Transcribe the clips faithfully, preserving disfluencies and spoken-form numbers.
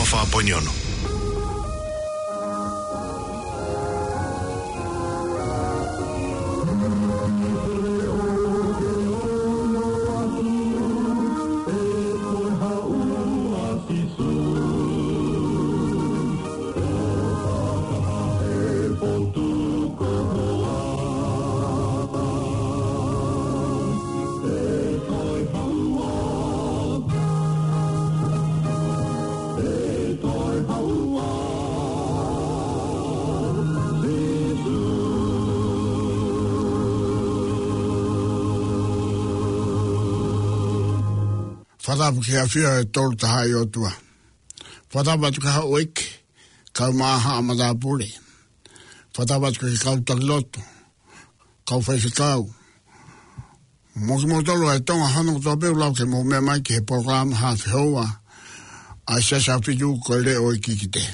Fā poini ono. Fakatapu ki he ʻafio ʻa e Tolu Tahaʻi ʻOtua. Fakatapu atu ki he houʻeiki, kau maʻa haʻa matāpule. Fakatapu atu ki he kau taki lotu, kau faifekau, mo kimoutolu ʻa e Tonga hono kotoa pē ʻoku lau ke mou meʻa mai ki he polokalama Haʻa Fehoua ʻa e Siasi ʻAhofitu, ko e Leʻo ʻo e Kikite.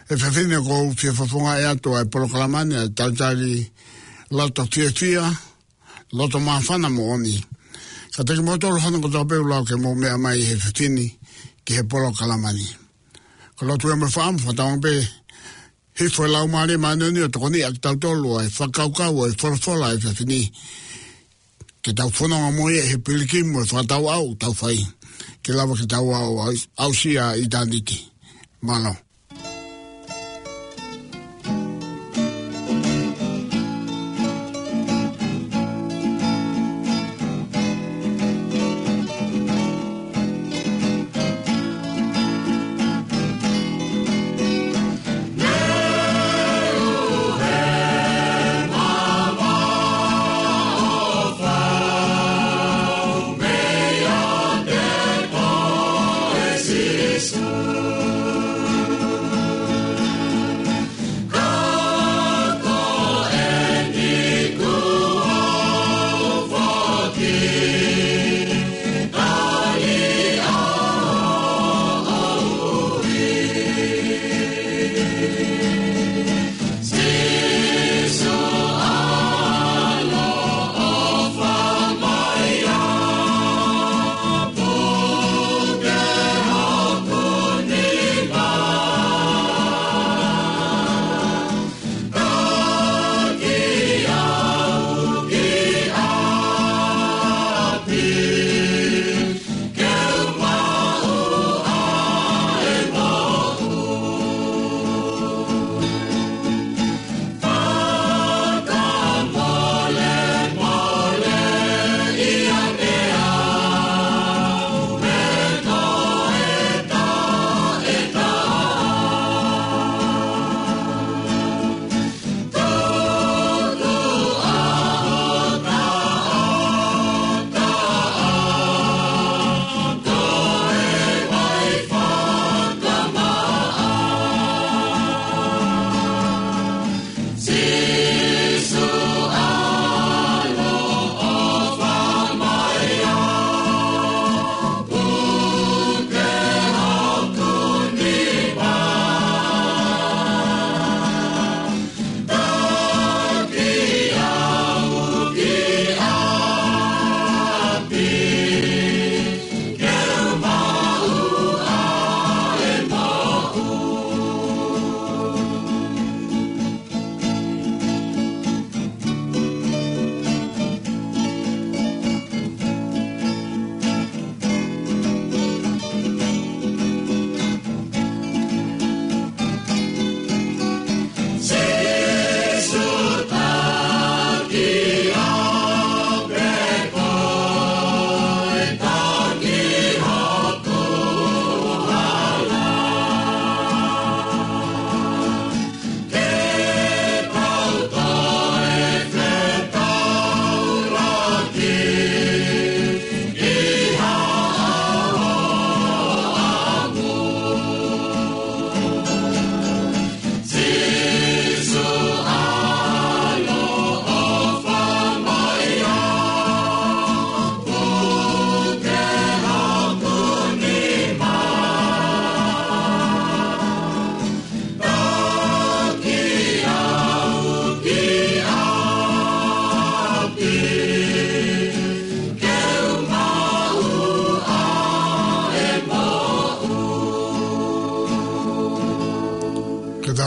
ʻE fefine, ʻoku ou fie fofongaʻi atu ʻa e polokalama ni ʻa e talitali loto fiefia, loto māfana moʻoni kiate kimoutolu hono kotoa pē ʻoku lau ke mou meʻa mai he efiafi ni ki he polokalama ni. Ko e lotu ia mo e fakaʻamu, fakatauange pē hifo e Laumālie Māʻoniʻoni ʻo tokoniʻi kitautolu ʻe he fakakaukau ʻo e folofola he efiafi ni, ke tau fononga mo ia he pilikimi mo e fakatauʻau ʻoku tau fai, ke lava ke tau aʻu, aʻusia ʻitāniti. Mālō.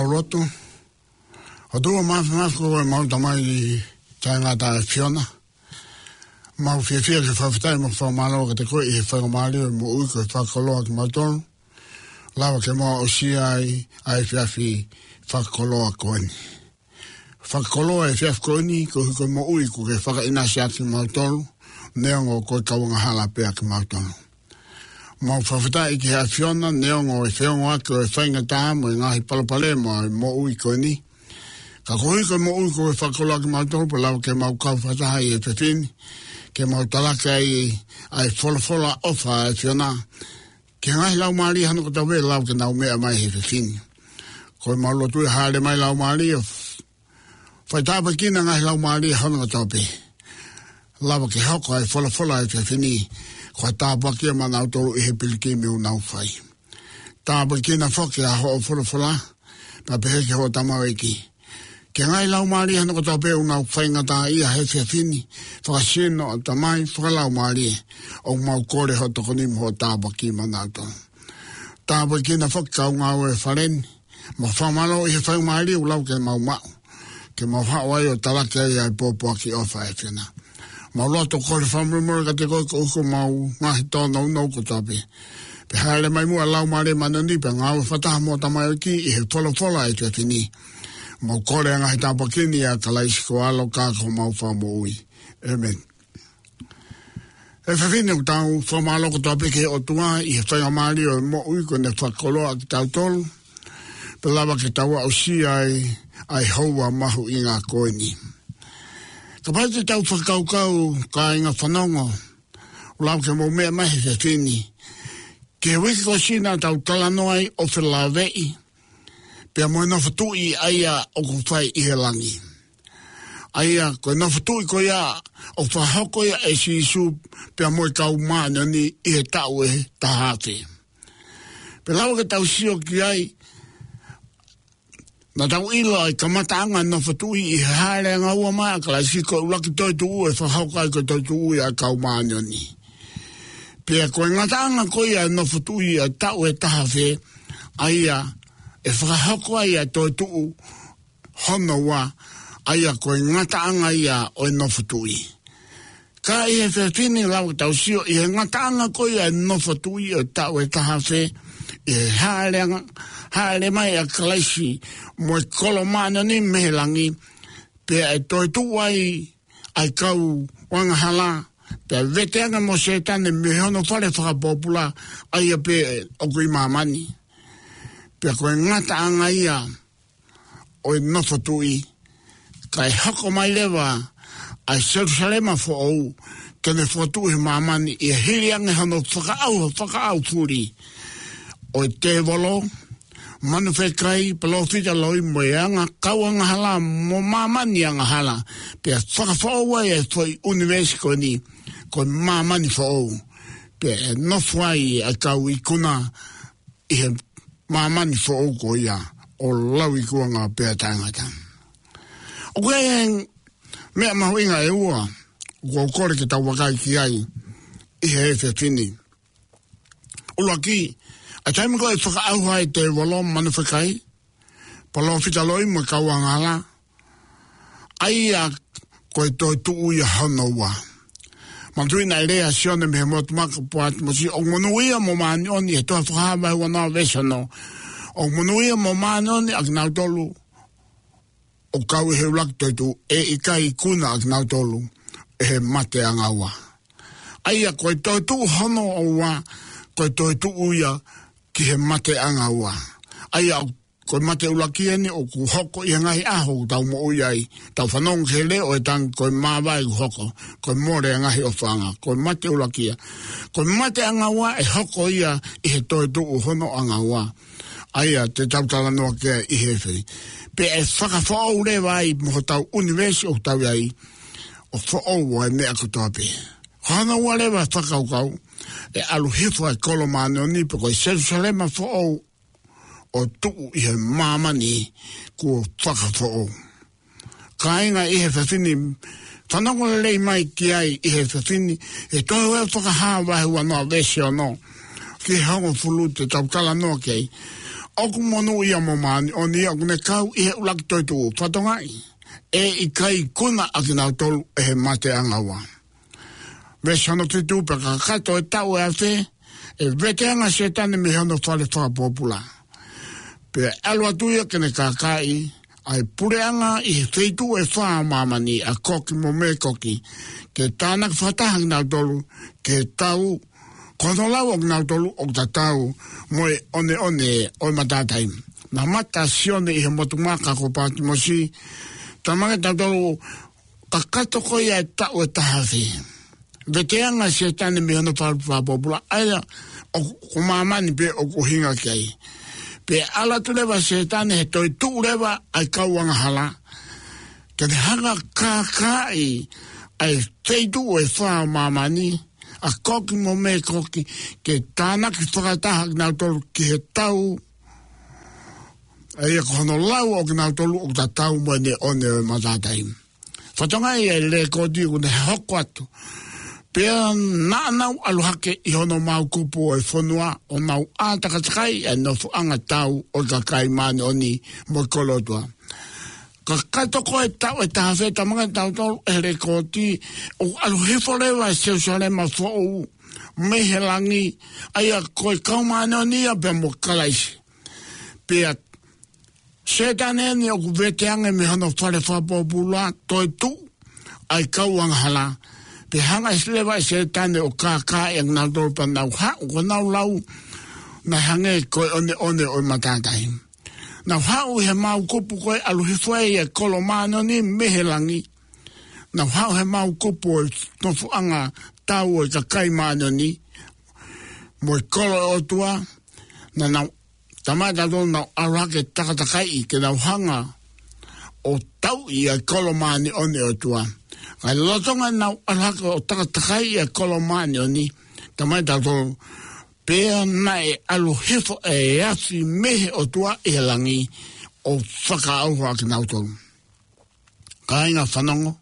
Lotu. ʻOtua māfimafi ko homau Tamai taʻengata ʻa e ʻAfiona. Mau fiefia ke fakafetaʻi mo fakamālō kiate koe ʻi he faingamālie ʻo e moʻui kuo ke fakakoloa kimautolu. Lava ke mau aʻusia ai ʻa e efiafi fakakoloa ko eni. Fakakoloa e efiafi ko eni, koeʻuhi ko e moʻui kuo ke fakaʻinasi ʻaki kimautolu, neongo ko e kau angahala pē ʻa kimautolu. Mau fakafetaʻi ki he ʻAfiona, neongo e feongoʻaki ʻo e faingataʻa mo e ngaahi palopalema ʻo e moʻui ko eni. Ka koeʻuhi ko e moʻui kuo ke fakakoloa kimautolu, pea lava ke mau kau fakataha ʻi he efiafi ni, ke mau talaki ai ʻa e folofola ʻofa ʻa e ʻAfiona ki he ngaahi laumālie hono kotoa pē ʻe lava ke nau meʻa mai he efiafi ni. Ko ʻemau lotu ʻe hāʻele mai laumālie, fai tāpuekina ngaahi laumālie hono kotoa pē. Lava ke hoko ʻa e folofola he efiafi ni ko ha tāpuaki maʻanautolu ʻi he pilikimi ʻoku nau fai. Tāpuekina foki ʻa hoʻo folofola, pea pehē ki hoʻo tamaioʻeiki, ki he ngaahi laumālie hono kotoa pē ʻoku nau faingataʻaʻia he efiafi ni, fakasino, ʻatamai, fakalaumālie, ʻoku mau kole hoʻo tokoni mo hoʻo tāpuaki maʻanautolu. Tāpuekina foki kau ngāue he fale ni, mau fakamālō ʻi he faingamālie ʻoku lava ke mau maʻu, ke mau haʻu ai ʻo talaki ai ʻa e pōpoaki ʻofa ʻa e ʻAfiona. Mau lotu ʻo kole fakamolemole kiate koe koeʻuhi ko ʻemau ngaahi tōnounou kotoa pē. Pea hāʻele mai muʻa Laumālie Māʻoniʻoni pea ngāue fakataha mo e tamaioʻeiki ʻi he folofola he efiafi ni. Mau kole ʻa e ngaahi tāpuaki ni ʻia Kalaisi ko ho ʻAlo ka ko homau Fakamoʻui. ʻĒmeni. He efiafi ni ʻoku tau fakamālō kotoa pē ki he ʻOtua ʻi he faingamālie ʻo e moʻui kuo ne fakakoloa kitautolu, pea lava ke tau aʻusia ai ʻa e houa mahuʻinga ko eni. Kapau te tau fakakaukau, kāinga fanongo, ʻoku lava ke mou meʻa mai he efiafi ni ki he uike kuo ʻosi naʻa tau talanoa ai ʻo felāveʻi pea mo e nofo tuʻi ʻa ia ʻoku fai ʻi he langi. ʻA ia ko e nofo tuʻi ko ia ʻoku fakahoko ia ʻe Sīsū pea mo e kau māʻoniʻoni ʻi he taʻu ʻe taha afe. Pea lava ke tau sio ki ai, naʻa tau ʻilo ʻa e kamataʻanga e nofo tuʻi ʻi he Hāʻele ʻAnga Ua mai ʻa Kalaisi ko e ʻuluaki toetuʻu ʻe fakahoko ai ko e toetuʻu ia ʻa e kau māʻoniʻoni. Pea ko e ngataʻanga ko ia e nofo tuʻi ʻa e taʻu ʻe taha afe, ʻa ia ʻe fakahoko ai ʻa e toetuʻu hono ua, ʻa ia ko e ngataʻanga ia ʻo e nofo tuʻi. Ka ʻi he efiafi ni lava ke tau sio ʻi he ngataʻanga ko ia e nofo tuʻi ʻo e taʻu ʻe taha afe, ʻi he hāʻele ʻanga, hāʻele mai ʻa Kalaisi mo e kolo māʻoniʻoni mei he langi, pea ʻe toetuʻu ai ʻa e kau angahala, pea vete ange mo Sētane mei hono fale fakapōpula, ʻa ia pē ʻoku ʻi māmani. Pea ko e ngataʻanga ia ʻo e nofo tuʻi, kae hoko mai leva ʻa e Selūsalema foʻou, ke ne fokotuʻu he māmani ʻi he hili ange hono fakaʻauha, fakaʻaufuli ʻo e tēvolo, manu fekai, palōfita loi mo e anga kau angahala mo māmani angahala, pea fakafoʻou ai e foʻi ʻunivēsi ko eni, ko e māmani foʻou, pea ʻe nofo ai ʻa e kau ikuna ʻi he māmani foʻou ko ia ʻo lauikuonga pea taʻengata. ʻOku ʻi ai e meʻa mahuʻinga ʻe ua ʻoku ou kole ke tau vakai ki ai ʻi he efiafi ni. ʻUluaki, ʻa e taimi ko ē ʻe fakaʻauha ai e tēvolo, manu fekai, palōfita loi mo e kau angahala, ʻa ia ko e toetuʻu ia hono ua. Manatuʻi naʻe lea ʻa Sione mei he motu maka ʻo Pātimosi, ʻoku monūʻia mo māʻoniʻoni, he tohi Fakahā vahe uanoa veesi ono. ʻOku monūʻia mo māʻoniʻoni ʻa kinautolu ʻoku kau ʻi he ʻuluaki toetuʻu, ʻe ʻikai ikuna ʻa kinautolu ʻe he mate ʻanga ua. ʻA ia ko e toetuʻu hono ua, ko e toetuʻu ia ki he mate ʻanga ua. ʻA ia ko e mate ʻuluaki eni ʻoku hoko ʻi he ngaahi ʻaho ʻoku tau moʻui ai. Tau fanongo ki he leʻo ʻo e tangi, ko e māvae ʻoku hoko, ko e mole ʻa e ngaahi ʻofaʻanga, ko e mate ʻuluaki ia. Ko e mate ʻanga ua ʻe hoko ia ʻi he toetuʻu hono ʻanga ua, ʻa ia te tau talanoa ki ai ʻi he efiafi. Pea ʻe fakafoʻou leva ai mo hotau ʻunivēsi ʻoku tau ʻi ai, ʻo foʻou ʻa e meʻa kotoa pē. Ko hono ua leva e fakakaukau, ʻe ʻalu hifo ʻa e kolo māʻoniʻoni pe ko e Selūsalema foʻou ʻo tuʻu ʻi he māmani kuo fakafoʻou. Kāinga ʻi he efiafi ni, fanongo lelei mai ki ai ʻi he efiafi ni, he tohi ʻa e Fakahā vahe uanoa veesi ono ki he hongofulu te tau talanoa ki ai. ʻOku monūʻia mo māʻoniʻoni ia ʻoku ne kau ʻi he ʻuluaki toetuʻu. Fakatokangaʻi, ʻe ʻikai ikuna ʻa kinautolu ʻe he mate ʻanga ua. Veesi hono fitu: Pea kakato e taʻu ʻe afe, ʻe veteange ʻa Sētane mei hono fale fakapōpula, pea ʻalu atu ia ke ne kākaaʻi ʻa e puleʻanga ʻi he feituʻu ʻe fā ʻo māmani, ʻa Koki mo Mēkoki, ke tānaki fakataha kinautolu ki he tau, ko hono lau ʻo kinautolu ʻoku tatau mo e ʻoneʻone ʻo e matātahi. Naʻe mamata ʻa Sione ʻi he motu maka ko Pātimosi. Talamai kiate kitautolu, kakato ko ia e taʻu ʻe taha afe, veteange ʻa Sētane mei hono fale fakapōpula, ʻa ia ʻoku, ko māmani pē ʻoku ʻuhinga ki ai. Pea ʻalu atu leva ʻa Sētane he toetuʻu leva ʻa e kau angahala, ke ne hanga ʻo kākaaʻi ʻa e feituʻu ʻe fā ʻo māmani, ʻa Koki mo Mēkoki, ke tānaki fakataha kinautolu ki he tau, ʻa ia ko hono lau ʻo kinautolu ʻoku tatau mo e ʻoneʻone ʻo e matātahi. Fakatokangaʻi ʻa e lēkooti ʻoku ne hoko atu: Pea naʻa nau ʻalu hake ʻi hono maokupu ʻo e fonua, ʻo nau ʻātakatakai ʻa e nofoʻanga tau ʻo e kakai māʻoniʻoni mo e kolo ʻo e ʻOtua. Kakato ko e taʻu ʻe taha afe, talamai kiate kitautolu ʻe he lēkooti, ʻoku ʻalu hifo leva ʻa Selūsalema Foʻou mei he langi, ʻa ia ko e kau māʻoniʻoni ia pea mo Kalaisi. Pea Sētane eni ʻoku veteange mei hono fale fakapōpula, toetuʻu ʻa e kau angahala. Pea hanga ʻe Sē-, leva ʻe Sētane ʻo kākaaʻi ʻa kinautolu, pea nau haʻu, ko ʻenau lau naʻe hangē ko e ʻoneʻone ʻo e matātahi. Nau haʻu ʻi he maokupu ko ē ʻalu hifo ai ʻa e kolo māʻoniʻoni mei he langi. Nau haʻu he maokupu ʻo e nofoʻanga tau ʻo e kakai māʻoniʻoni mo e kolo ʻo e ʻOtua. Naʻa nau, talamai kiate kitautolu, nau ʻalu hake ʻo takatakai ke nau hanga ʻo tauʻi ʻa e kolo māʻoniʻoni ʻo e ʻOtua. Ka ʻi he lolotonga ʻenau ʻalu hake ʻo takatakai ʻa e kolo māʻoniʻoni, talamai kiate kitautolu, pea naʻe ʻalu hifo ʻa e afi mei he ʻOtua ʻi he langi ʻo fakaʻauha ʻa kinautolu. Kāinga fanongo,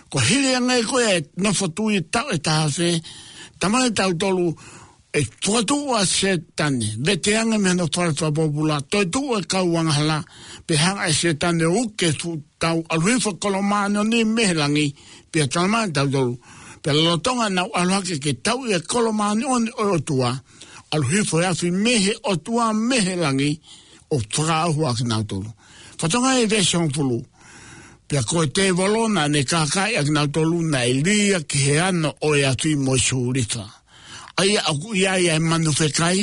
ko e hili ange ko ē ʻa e nofo tui taʻu ʻe taha afe, talamai kiate kitautolu ʻe fokotuʻu ʻa Sētane, veteange mei hono fale fakapōpula, toetuʻu ʻa e kau angahala, pea hanga ʻe Sētane ʻo uke fuʻu tau, ʻalu hifo e kolo māʻoniʻoni mei he langi, pea talamai kiate kitautolu, pea lolotonga ʻenau ʻalu hake ke tauʻi ʻa e kolo māʻoniʻoni ʻo e ʻOtua, ʻalu hifo e afi mei he ʻOtua mei he langi ʻo fakaʻauha ʻa kinautolu. Fakatokangaʻi e veesi hongofulu: Pea ko e tēvolo naʻa ne kākaaʻi ʻa kinautolu naʻe lī ia ki he ano ʻo e afi mo e sūlifa, ʻa ia ʻoku ʻi ai ʻa e manu fekai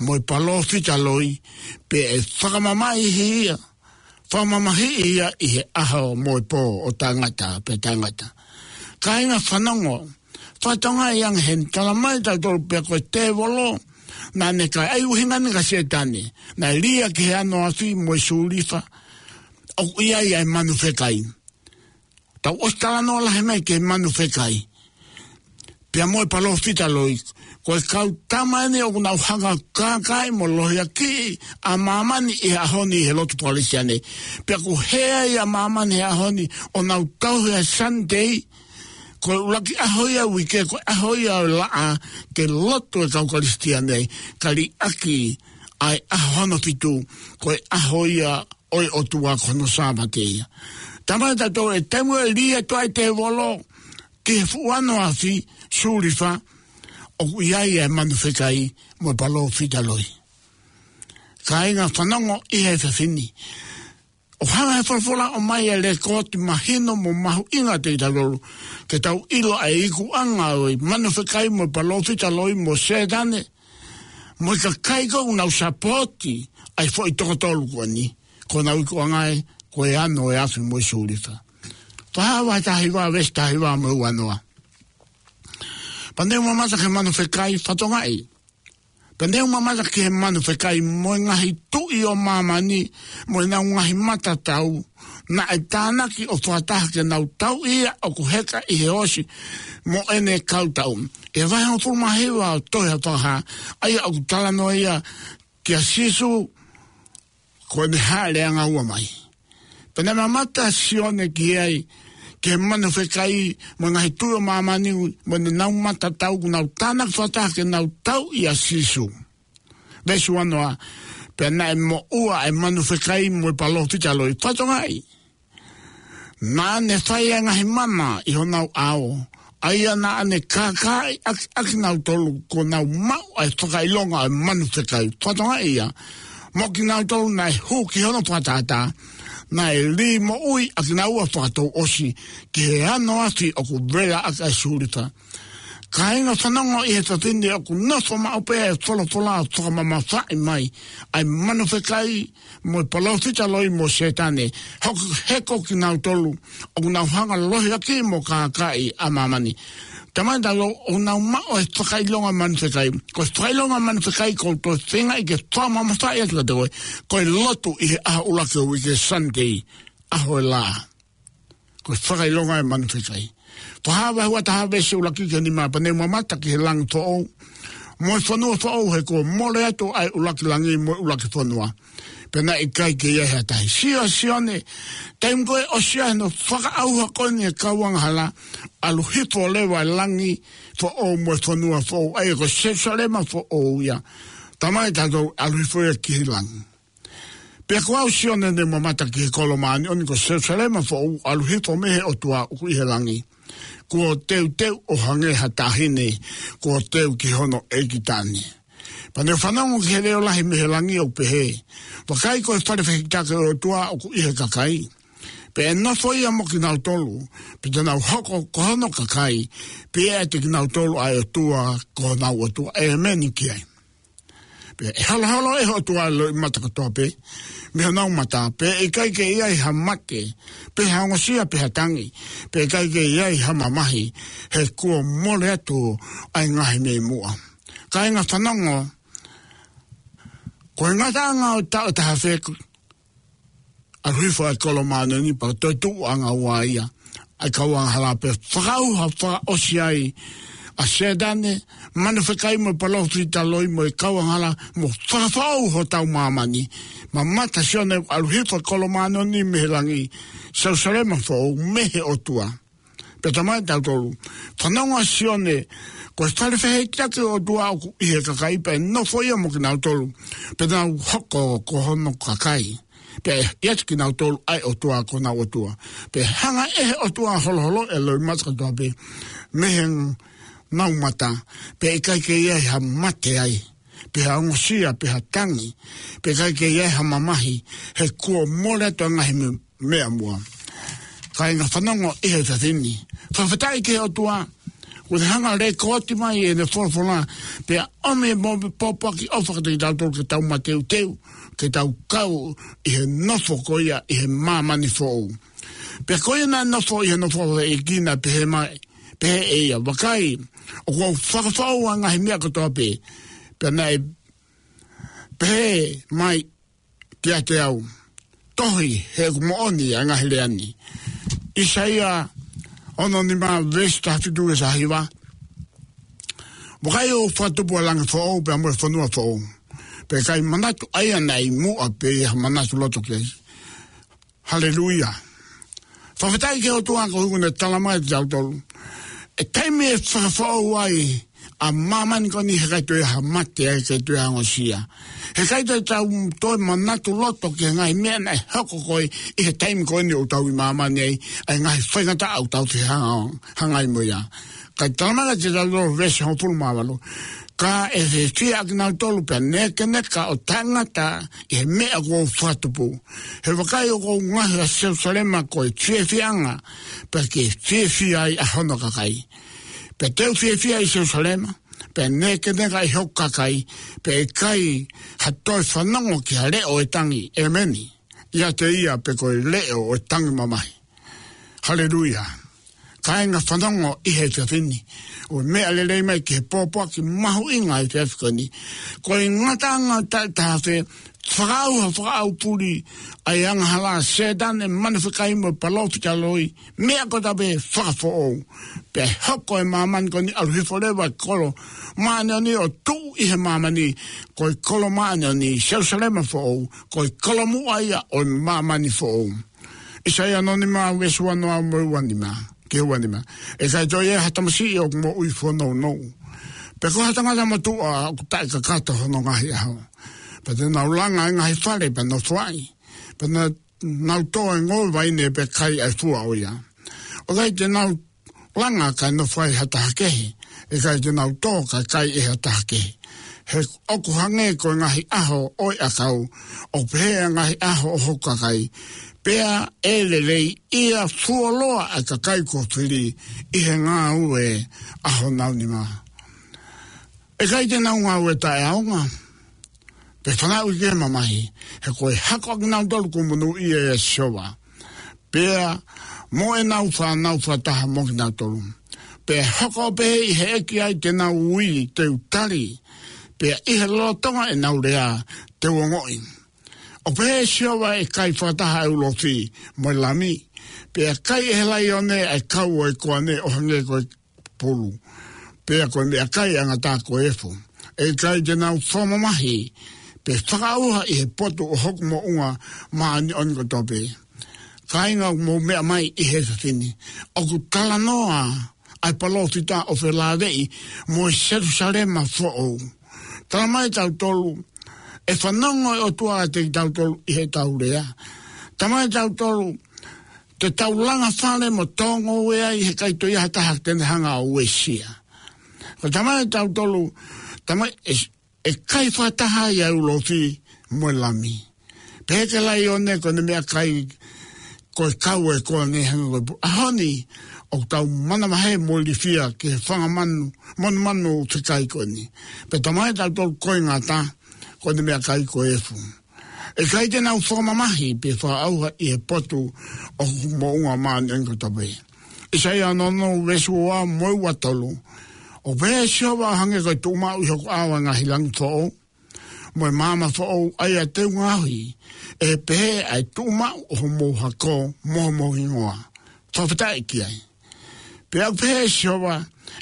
mo e palōfita loi, pea ʻe fakamamahiʻi ia, fakamamahiʻi ia ʻi he ʻaho mo e pō ʻo taʻengata pea taʻengata. Kāinga fanongo, fakatokangaʻi ange heni, talamai kiate kitautolu pea ko e tēvolo naʻa ne kākaaʻi, ʻa e ʻuhinga eni kia Sētane, naʻe lī ia ki he ano ʻo e afi mo e sūlifa, ʻoku ʻi ai ʻa e manu fekai. Tau ʻosi talanoa lahi mai ki he manu fekai pea mo e palōfita loi. Ko e kau tama eni ʻoku nau hanga ʻo kākaaʻi mo lohiakiʻi ʻa māmani ʻi he ʻaho ni ʻi he lotu Palesitiane. Pea ʻoku hē ai ʻa māmani he ʻaho ni ʻo nau tauhi ʻa e Sunday, ko e ʻuluaki ʻaho ia ʻo e uike, ko e ʻaho ia ʻo e laʻā, ke lotu e kau Kalisitiane, ka liʻaki ʻa e ʻaho hono fitu, ko e ʻaho ia ʻo e ʻOtua, ko hono Sāpate ia. Talamai kiate kitautolu ʻi he taimi ʻe lī atu ai e tēvolo ki he fuʻu ano ʻo e afi, sūlifa, ʻoku ʻi ai ʻa e manu fekai mo e palōfita loi. Kāinga fanongo ʻi he efiafi ni, ʻoku hanga ʻe he folofola ʻo ʻomai ʻa e lēkooti mahino mo mahuʻinga kiate kitautolu, ke tau ʻilo ʻa e ikuʻanga ʻo e manu fekai mo e palōfita loi mo Sētane mo e kakai ko ē ʻoku nau sapooti ʻa e foʻi toko tolu ko eni. Ko honau ikuʻanga ē, ko e ano ʻo e afi mo e sūlifa. Fakahā vahe taha hiva, veesi taha hiva mo e ua noa. Pea ne u mamata ki he manu fekai, fakatokangaʻi, pea ne u mamata ki he manu fekai mo e ngaahi tuʻi ʻo māmani mo ʻenau ngaahi matatau, naʻe tānaki ʻo fakataha ke nau tauʻi ia ʻoku heka ʻi he ʻosi mo ʻene kau tau. ʻI he vahe hongofulu mā hiva ʻo e tohi Fakahā, ʻa ia ʻoku talanoa ia kia Sīsū, ko ʻene hāʻele ʻanga ua mai. Pea naʻe mamata ʻa Sione ki ai, ki he manu fekai mo e ngaahi tuʻi ʻo māmani mo ʻenau matatau, ʻoku nau tānaki fakataha ke nau tauʻi ʻa Sīsū. Veesi uanoa, pea naʻe moʻua ʻa e manu fekai mo e palōfita loi. Fakatokangaʻi. Naʻa ne fai ʻa e ngaahi mana ʻi honau ʻao, ʻa ia naʻa ne kākaaʻi ʻaki, ʻakinautolu kuo nau maʻu ʻa e fakaʻilonga ʻo e manu fekai. Fakatokangaʻi ia, mo kinautolu naʻe hū ki hono fakatātā, naʻe lī moʻui ʻa kinaua fakatouʻosi ki he ano afi ʻoku vela ʻaki ʻa e sulifa. Kāinga, fanongo ʻi he efiafi ni, ʻoku nofo maʻu pē ʻa e folofola fakamamafaʻi mai ʻa e manu fekai mo e palōfita loi mo Sētane, hoko, heko kinautolu ʻoku nau hanga lohiakiʻi mo kākaaʻi ʻa māmani. Tamai, tautolu ʻoku nau maʻu ʻa e fakaʻilonga manu fekai. Ko e fakaʻilonga manu fekai ʻoku ou toe feingaʻi ke fakamamafaʻi atu kiate koe, ko e lotu ʻi he ʻaho ʻuluaki ʻo e uike, Sunday, ʻaho e lā. Ko e fakaʻilonga ʻo e manu fekai. Fakahā vahe ua taha veesi ʻuluaki ki he nima, pea ne u mamata ki he langi foʻou mo e fonua foʻou, he kuo mole atu ʻa e ʻuluaki langi mo e ʻuluaki fonua, pea naʻe ʻikai ke ʻi ai ha tahi. Sio, Sione, taimi ko ē ʻosi ai hono fakaʻauha ko eni ʻa e kau angahala, ʻalu hifo leva ʻa e langi foʻou mo e fonua foʻou, ʻa ia ko Selusalema foʻou ia. Tamai, tautolu ʻalu hifo ia ki he langi. Pea ko au, Sione, ne u mamata ki he kolo māʻoniʻoni ko Selusalema foʻou, ʻalu hifo mei he ʻOtua ʻoku ʻi he langi, kuo teuteu ʻo hangē ha taʻahine kuo teu ki hono ʻeiki taʻane. Pea ne u fanongo ki he leʻo lahi mei he langi ʻoku pehē: Vakai, ko e fale fehikitaki ʻo e ʻOtua ʻoku ʻi he kakai, pea ʻe nofo ia mo kinautolu, pea te nau hoko ko hono kakai, pea ʻe ʻiate kinautolu ʻa e ʻOtua ko honau ʻOtua. ʻĒmeni ki ai. Pea ʻe holoholo ʻe he ʻOtua ʻa e loʻimata kotoa pē mei honau mata, pea ʻe ʻikai ke ʻi ai ha mate, pe ha ongosia, pe ha tangi, pea ʻe ʻikai ke ʻi ai ha mamahi, he kuo mole atu ʻa e ngaahi mei muʻa. Kāinga, fanongo, ko e ngataʻanga ʻo e taʻu ʻe taha afe, ʻalu hifo ʻa e kolo māʻoniʻoni pea toetuʻu ʻanga ua ia ʻa e kau angahala, pea fakaʻauha fakaʻosi ai ʻa Sētane, manu fekai mo e palōfita loi mo e kau angahala, mo fakafoʻou hotau māmani. Mamata, Sione, ʻalu hifo ʻa e kolo māʻoniʻoni mei he langi, Selusalema foʻou mei he ʻOtua. Pea tamai, tautolu, fanongo, Sione, ko e fale fehikitaki ʻo e ʻOtua ʻoku ʻi he kakai, pea ʻe nofo ia mo kinautolu, pea te nau hoko ko hono kakai, pea ʻe ʻiate kinautolu ʻa e ʻOtua ko honau ʻOtua. Pea ʻe hanga ʻe he ʻOtua ʻo holoholoʻi ʻa e loʻimata kotoa pē mei honau mata, pea ʻe ʻikai ke ʻi ai ha mate ai, pe ha ongosia, pe ha tangi, pea ʻe ʻikai ke ʻi ai ha mamahi, he kuo mole atu ʻa e ngaahi me-, mei muʻa. Kāinga, fanongo ʻi he efiafi ni, fakafetaʻi ki he ʻOtua, kuo ne hanga ʻo lēkooti mai ʻene folofola, pea ʻomi mo e pōpoaki ʻofa kiate kitautolu ke tau mateuteu, ke tau kau ʻi he nofo ko ia ʻi he māmani foʻou. Pea ko ia naʻe nofo ʻi he nofo ʻa e ʻEiki, naʻe pehē mai, pehē ʻe ia: Vakai, ʻoku ou fakafoʻou ʻa e ngaahi meʻa kotoa pē. Pea naʻe pehē mai kiate au: Tohi, he ʻoku moʻoni ʻa e ngaahi lea ni. ʻAisea ono nima, veesi taha fitu ki he taha hiva: Vakai, ʻoku ou fakatupu ʻa e langi foʻou pea mo e fonua foʻou. Pea ʻe ʻikai manatu ʻa ia naʻe ʻi muʻa, pe ʻe ʻi ai ha manatu loto ki ai. Haleluia. Fakafetaʻi ki he ʻOtua koeʻuhi kuo ne tala mai kiate kitautolu ʻa e taimi ʻe fakafoʻou ai ʻa māmani ko eni, he ʻikai toe ʻi ai ha mate ai, ʻikai toe ʻi ai ha ongosia. He ʻikai toe tau toe manatu loto ki he ngaahi meʻa naʻe hoko ko ē ʻi he taimi ko eni ʻoku tau ʻi māmani ai, ʻa e ngaahi faingataʻa ʻoku tau fehangahangai mo ia. Kae tala mai kiate kitautolu, veesi hongofulu mā valu: Ka ʻe fiefia ʻa kinautolu pea nēkeneka ʻo taʻengata ʻi he meʻa kuo u fakatupu. He vakai, ʻoku ou ngaohi ʻa Selusalema ko e fiefiaʻanga, pea ke fiefia ai ʻa hono kakai. Pea te u fiefia ʻi Selusalema, pea nēkeneka ʻi hoku kakai, pea ʻe ʻikai ha toe fanongo ki ha leʻo ʻo e tangi. ʻĒmeni. ʻIate ia pē ko e leʻo ʻo e tangi mamahi. Haleluia. Kāinga, fanongo ʻi he efiafi ni, ʻoku meʻa lelei mai ki he pōpoaki mahuʻinga ʻo e efiafi ko eni. Ko e ngataʻanga ʻo e taʻu ʻe taha afe, fakaʻauha fakaʻaupule ʻa e angahala, Sētane, manu fekai mo e palōfita loi, meʻa kotoa pē fakafoʻou. Pea ʻe hoko ʻa e māmani ko eni, ʻalu hifo leva ʻa e kolo māʻoniʻoni ʻo tuʻu ʻi he māmani, ko e kolo māʻoniʻoni, Selusalema foʻou, ko e kolomuʻa ia ʻo e māmani foʻou. ʻAisea ono nima, veesi uanoa mo e uanima, ki he uanima: ʻE ʻikai toe ʻi ai ha tamasiʻi ʻoku moʻui fonounou, Pea ko ha tangata motuʻa ʻoku taʻekakato hono ngaahi ʻaho. Pea te nau langa e ngaahi fale pea nofo ai. Pea na-, nau tō e ngoue vaine pea kai ʻa e fua ʻo ia. ʻOku ʻikai te nau langa kae nofo ai ha taha kehe. ʻIkai te nau tō kae kai ʻe ha taha kehe. He ʻoku hangē ko e ngaahi ʻaho ʻo e ʻakau. ʻOku pehē ʻa e ngaahi ʻaho ʻo hoku kakai. Pea ʻe lelei ia fuoloa ʻa e kakai kuo fili ʻi he ngāue ʻa honau nima. ʻE ʻikai te nau ngāue taʻeʻaonga, pe fanauʻi ki he mamahi, he ko e hako ʻa kinautolu kuo monūʻia ʻe Sihova. Pea mo ʻenau fānau fakataha mo kinautolu. Pea hoko ʻo pehē ʻi he ʻEiki ai te nau ui te u tali. Pea ʻi he lolotonga ʻenau lea te u ongoʻi. ʻOku pehē ʻe Sihova ʻe kai fakataha ʻa e ulofi mo e lami. Pea kai ʻe he laione ʻa e kau ʻo e koane ʻo hangē ko e pulu. Pea ko e meʻakai ʻa e ngata ko e efu. ʻE ʻikai te nau fakamamahi, pe fakaʻauha ʻi he potu ʻo hoku moʻunga māʻoniʻoni kotoa pē. Kāinga ʻoku mou meʻa mai ʻi he efiafi ni. ʻOku talanoa ʻa e palōfita ʻo felāveʻi mo e Selusalema foʻou. Tala mai tautolu, ʻe fanongo e ʻOtua ʻiate kitautolu ʻi heʻetau lea. Tala mai tautolu, te tau langa fale mo tō ngoue ai he ʻikai toe ʻi ai ha taha te ne hanga ʻo uesia. Ko e tala mai tautolu, tala mai ʻe, ʻe kai fakataha ai ʻa e ulofi mo e lami. Pehē ki he laione ko ʻene meʻakai ko e kau ʻo e koane hangē ko e pulu. ʻAho ni, ʻoku tau manavahē mo ilifia ki he fanga manu, monumanu fekai ko eni. Pea tala mai tautolu ko e ngata, ko ʻene meʻakai ko e efu. ʻE ʻikai te nau fakamamahi pe fakaʻauha ʻi he potu ʻo hoku moʻunga māʻoniʻoni kotoa pē. ʻAisea ono ono veesi ua mo e ua tolu. ʻOku pehē ʻe Sihova, ʻo hangē ko e tuʻumaʻu ʻi hoku ʻao ʻa e ngaahi langi foʻou mo e maama foʻou ʻa ia te u ngaohi, ʻe pehē ʻa e tuʻumaʻu ʻo homou hako mo homou hingoa. Fakafetaʻi ki ai. Pea ʻoku pehē ʻe Sihova,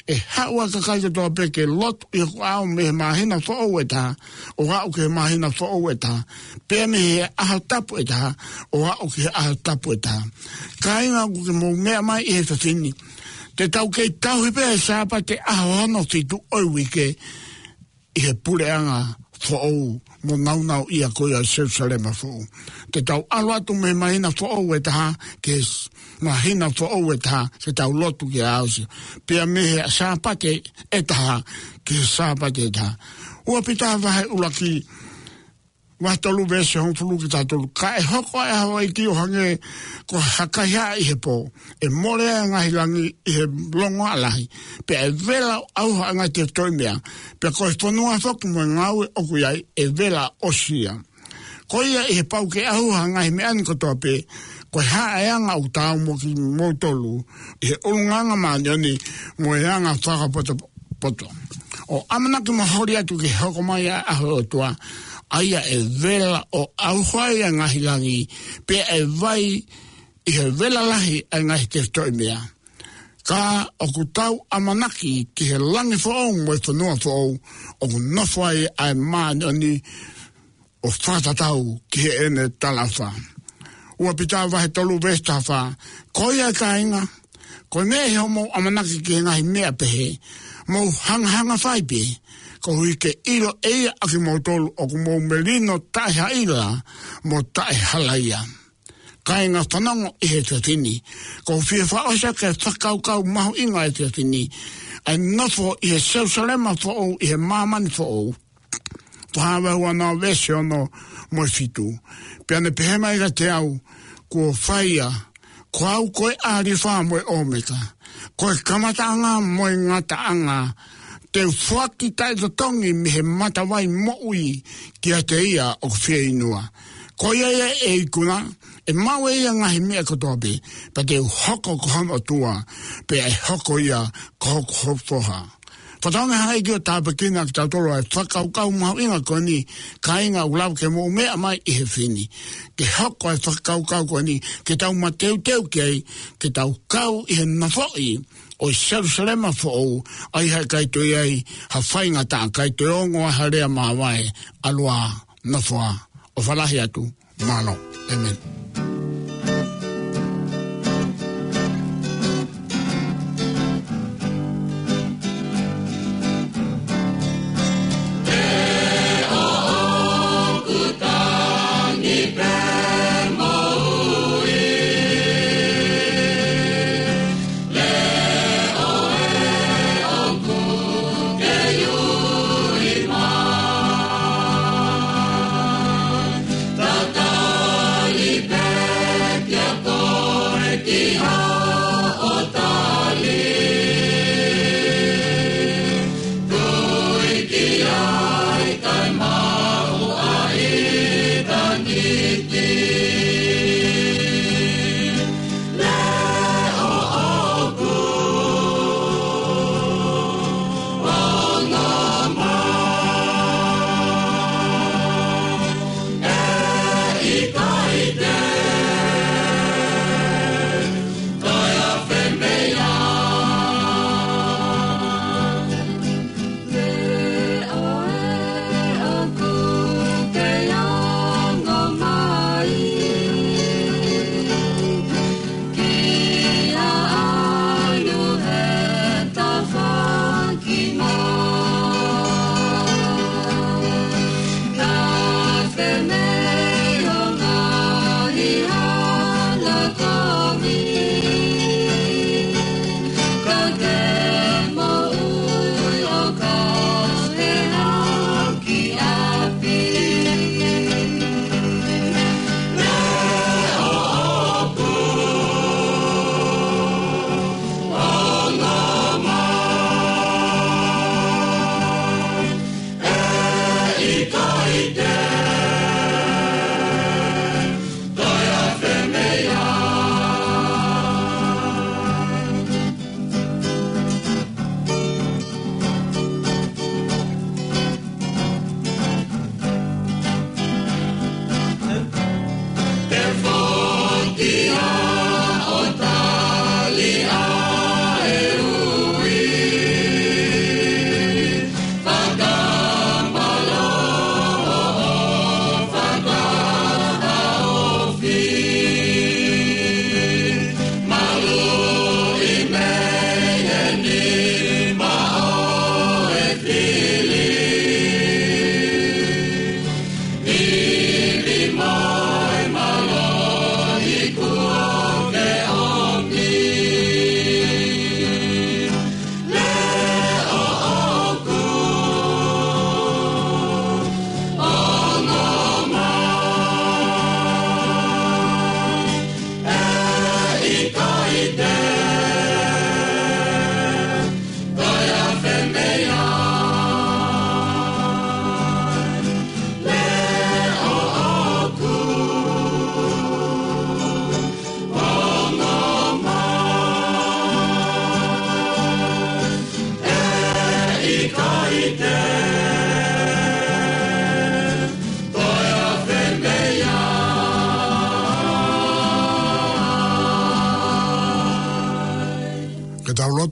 ʻe haʻu ʻa e kakai kotoa pē ke lotu ʻi hoku ʻao mei he māhina foʻou ʻe taha ʻo aʻu ki he māhina foʻou ʻe taha, pea mei he ʻaho tapu ʻe taha ʻo aʻu ki he ʻaho tapu ʻe taha. Kāinga ʻoku ke mou meʻa mai ʻi he efiafi ni, te tau kei tauhi pē ʻa e Sāpate ʻaho hono fitu ʻo e uike, ʻi he puleʻanga foʻou mo nāunauʻia ko ia ʻo Selusalema foʻou. Te tau ʻalu atu mei he māhina foʻou ʻe taha ki he s-, māhina foʻou ʻe taha, ke tau lotu ki he ʻaho Sihova. Pea mei he Sāpate ʻe taha ki he Sāpate ʻe taha. Ua Pita vahe ʻuluaki, vahe tolu veesi hongofulu ki he taha tolu. Ka ʻe hoko ʻa e ʻaho ʻo e ʻEiki ʻo hangē ko ha kaihaʻa ʻi he pō. ʻE mole ʻa e ngaahi langi ʻi he longoaʻa lahi. Pea ʻe vela ʻo ʻauha ʻa e ngaahi tefitoʻi meʻa. Pea ko e fonua foki mo e ngāue ʻoku ʻi ai ʻe vela ʻosi ia. Ko ia ʻi he pau ke ʻauha ʻa e ngaahi meʻa ni kotoa pē, ko e hā ʻa e anga ʻoku taau mo kimoutolu ʻi he ʻulungaanga māʻoniʻoni mo e anga fakapotopoto, ʻo ʻamanaki mo holi atu ki he hoko mai ʻa e ʻaho ʻo e ʻOtua, ʻa ia ʻe vela ʻo ʻauha ai ʻa e ngaahi langi, pea ʻe vai ʻi he vela lahi ʻa e ngaahi tefitoʻi meʻa. Ka ʻoku tau ʻamanaki ki he langi foʻou mo e fonua foʻou, ʻoku nofo ai ʻa e māʻoniʻoni ʻo fakatatau ki heʻene talaʻofa. Ua Pita vahe tolu veesi taha fā. Ko ia kāinga, ko e meʻa ʻi hoʻomou ʻamanaki ki he ngaahi meʻa pehē, mou hangahanga fai pē, koeʻuhi ke ʻilo ʻe ia ʻa kimoutolu ʻoku mou melino taʻehaʻila mo taʻehalaia. Kāinga, fanongo ʻi he efiafi ni. ʻOku ou fie fakaʻosi ʻa e fakakaukau mahuʻinga ʻo e efiafi ni. ʻA e nofo ʻi he Selusalema foʻou, ʻi he māmani foʻou. Fakahā vahe ua noa veesi ono mo e fitu. Pea ne pehē mai kiate au, kuo fai ia, ko au ko e ʻAlifa mo e ʻOmeka. Ko e kamataʻanga mo e ngataʻanga. Te u foaki taʻetotongi mei he matavai moʻui kiate ia ʻoku fieinua. Ko ia ia ʻe ikuna, ʻe maʻu ʻe ia ʻa e ngaahi meʻa kotoa pē, pea te u hoko ko hono ʻOtua, pea ʻe hoko ia ko hoku foha. Fakatauange ʻe he ʻEiki ʻo tāpuekina kitautolu ʻa e fakakaukau mahuʻinga ko eni, kāinga, ʻoku lava ke mou meʻa mai ʻi he efiafi ni. Ke hoko ʻa e fakakaukau ko eni, ke tau mateuteu ki ai, ke tau kau ʻi he nofoʻi ʻo e Selusalema foʻou, ʻa ia he ʻikai toe ʻi ai ha faingataʻa, ʻikai toe ongo ai ha lea māvae, ʻalu ā, nofo ā, ʻofa lahi atu. Mālō. ʻĒmeni.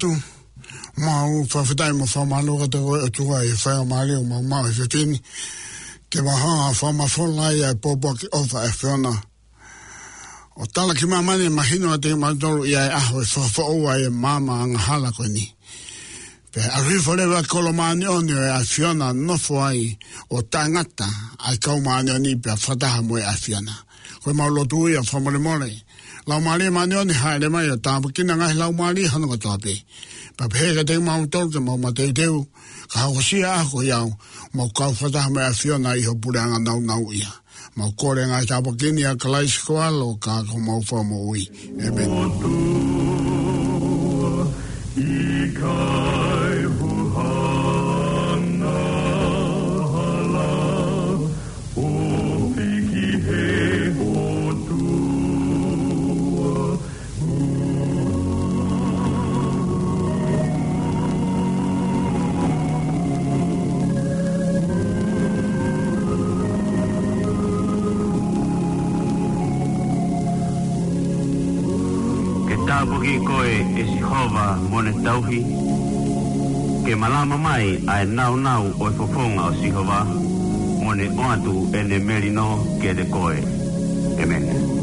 atu. Mau fakafetaʻi mo fakamālō kiate koe ʻOtua ʻi he faingamālie ʻoku mau maʻu he efiafi ni ke mau hanga ʻo fakamafola ai ʻa e pōpoaki ʻofa ʻa e ʻAfiona. ʻO tala ki māmani ʻe mahino ʻa e teu mautolu ʻi he ʻaho ʻe fakafoʻou ai ʻa e maama angahala ko eni. Pea ʻalu hifo leva ʻa e kolo māʻoniʻoni ʻo e ʻAfiona ʻo nofo ai ʻo taʻengata ʻa e kau māʻoniʻoni pea fakataha mo e ʻAfiona. Ko e mau lotu ia fakamolemole. Laumālie Māʻoniʻoni hāʻele mai ʻo tāpuekina ngaahi laumālie hono kotoa pē. Pea pehē kiate kimautolu ke mau mateuteu, ka hokosia ʻa e ʻaho ko ia ʻo mau kau fakataha mo e ʻAfiona ʻi ho puleʻanga nāunauʻia. Mau kole ngaahi tāpuaki ni ʻia Kalaisi ko ho ʻAlo ka ko homau Fakamoʻui. ʻĒmeni. ʻIkai huhana hala, ʻo piki he ʻOtua. Ke tāpuakiʻi koe ʻe Sihova mo ʻene tauhi. Ke malama mai ʻa e nāunau ʻo e fofonga ʻo Sihova, mo ne ʻoatu ʻene melino kiate koe. ʻĒmeni.